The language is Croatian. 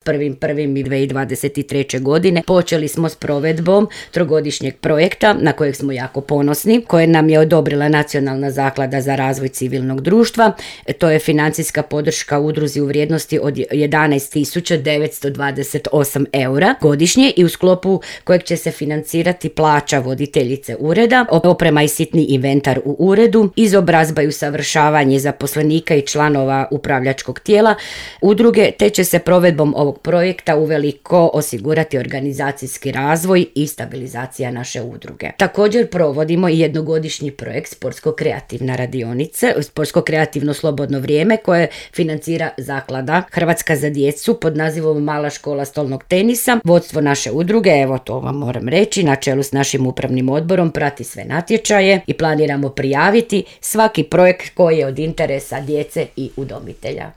1.1.2023. godine počeli smo s provedbom trogodišnjeg projekta na kojeg smo jako ponosni, koje nam je odobrila Nacionalna zaklada za razvoj civilnog društva. To je financijska podrška udruzi u vrijednosti od 11.928 eura godišnje i u sklopu kojeg će se financirati plaća voditeljice ureda, oprema i sitni inventar u uredu, izobrazba i usavršavanje zaposlenika i članova upravljačkog tijela udruge, te će se provedbom ovog projekta uveliko osigurati organizacijski razvoj i stabilizacija naše udruge. Također provodimo i jednogodišnji projekt sportsko-kreativna radionice, sportsko-kreativno slobodno vrijeme koje financira Zaklada Hrvatska za djecu pod nazivom Mala škola stolnog tenisa. Vodstvo naše udruge, evo to vam moram reći, na čelu s našim upravnim odborom prati sve natječaje i planiramo prijaviti svaki projekt koji je od interesa djece i udomitelja.